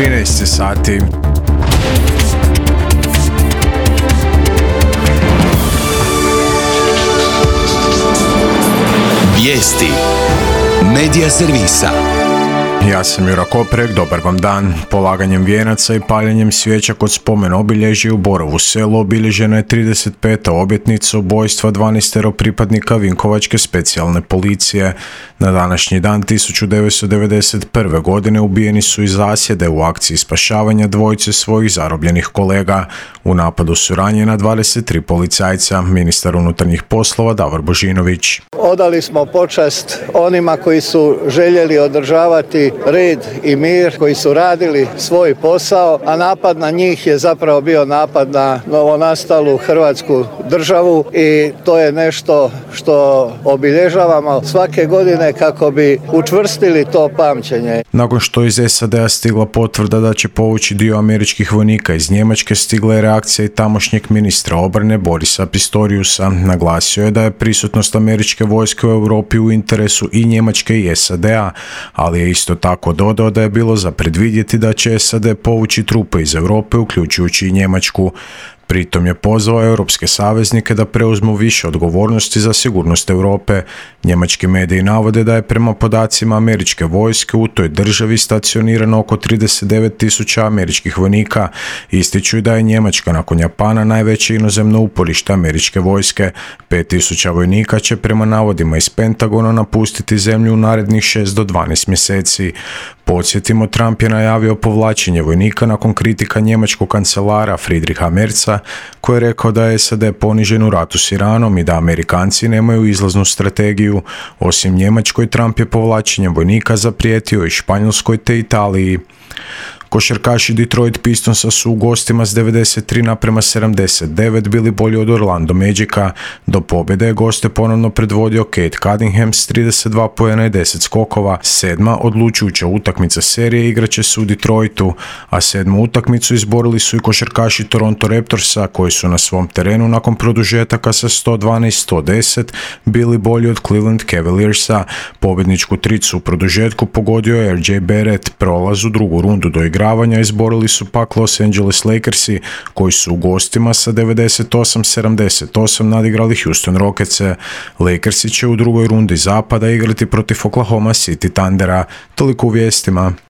13 sati. Vijesti Medija servisa. Ja sam Jura Koprek, dobar vam dan. Polaganjem vijenaca i paljenjem svijeća kod spomen obilježja u Borovu Selu obilježena je 35. obljetnica ubojstva 12 pripadnika Vinkovačke specijalne policije. Na današnji dan 1991. godine ubijeni su iz zasjede u akciji spašavanja dvojice svojih zarobljenih kolega. U napadu su ranjena 23 policajca, ministar unutarnjih poslova Davor Božinović. Odali smo počast onima koji su željeli održavati red i mir, koji su radili svoj posao, a napad na njih je zapravo bio napad na novonastalu Hrvatsku državu i to je nešto što obilježavamo svake godine kako bi učvrstili to pamćenje. Nakon što iz SAD-a stigla potvrda da će povući dio američkih vojnika iz Njemačke, stigla je reakcija i tamošnjeg ministra obrane Borisa Pistoriusa. Naglasio je da je prisutnost američke vojske u Europi u interesu i Njemačke i SAD-a, ali je isto tako dodao da je bilo za predvidjeti da će SAD povući trupe iz Europe, uključujući i Njemačku. Pritom je pozvao europske saveznike da preuzmu više odgovornosti za sigurnost Europe. Njemački mediji navode da je prema podacima američke vojske u toj državi stacionirano oko 39.000 američkih vojnika. Ističu da je Njemačka nakon Japana najveće inozemno uporište američke vojske. 5.000 vojnika će prema navodima iz Pentagona napustiti zemlju u narednih 6 do 12 mjeseci. Podsjetimo, Trump je najavio povlačenje vojnika nakon kritika njemačkog kancelara Friedricha Merza, koji je rekao da je SAD ponižen u ratu s Iranom i da Amerikanci nemaju izlaznu strategiju. Osim Njemačkoj, Trump je povlačenjem vojnika zaprijetio i Španjolskoj te Italiji. Košarkaši Detroit Pistonsa su u gostima s 93:79 bili bolji od Orlando Magica. Do pobjede je goste ponovno predvodio Cade Cunningham s 32 poena i 10 skokova. Sedma odlučujuća utakmica serije igraće se u Detroitu, a sedmu utakmicu izborili su i košarkaši Toronto Raptorsa, koji su na svom terenu nakon produžetaka sa 112-110 bili bolji od Cleveland Cavaliersa. Pobjedničku tricu u produžetku pogodio je RJ Barrett. Prolaz u drugu rundu do igravanja izborili su pak Los Angeles Lakersi, koji su u gostima sa 98-78 nadigrali Houston Rocketse. Lakersi će u drugoj rundi zapada igrati protiv Oklahoma City Thundera. Toliko u vijestima.